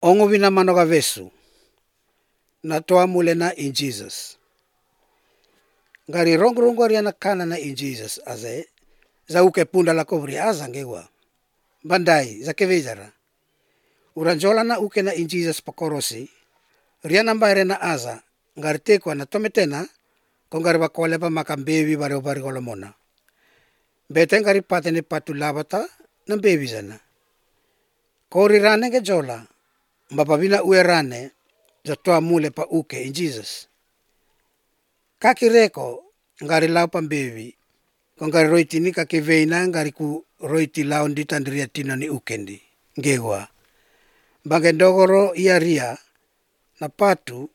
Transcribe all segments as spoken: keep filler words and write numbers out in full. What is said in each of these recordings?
ongo vina manoga vesu na toa mule na in Jesus. Ngari rongo-rongo ariana kana na in Jesus aze za uke punda la kovri aza ngewa. Bandai za kevezara. Uranjola na uke na in Jesus pakorosi riana mbaire na aza ngari tekwa na tometena kongari bakole pa makambevi bare obari kolomona. Bete ngari patene patu labata na bevi zana. Kori rane ke jola mbapabina ue rane za toa mule pa uke in Jesus. Kaki reko ngari lau pambevi kongari roiti ni kake veina ngari ku roiti lau ndi tandria tino ni ukendi ngewa. Bange ndogoro ia ria na patu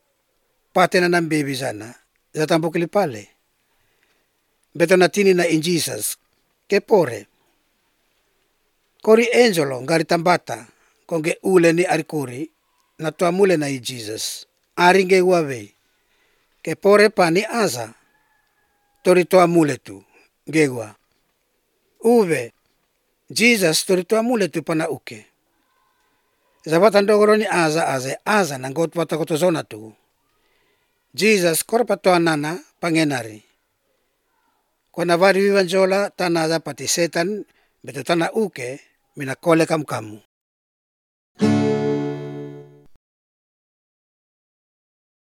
patena na mbevi zana za tambukili pale. Beto na tini na in Jesus ke pore. Kori angelo ngari tambata konge ule ni arikuri na toa mule na in Jesus. Aringe uawe ke pore pani aza tori toa mule tu ngewa. Uwe Jesus tori toa mule tu pana uke. Zabata ndogoro ni aza aze aza na ngot wata kotozona tu. Jesus korpa toa nana pangenari. Kona vari vivanjola tana aza pati setan beto tana uke mina kole kamu kamu.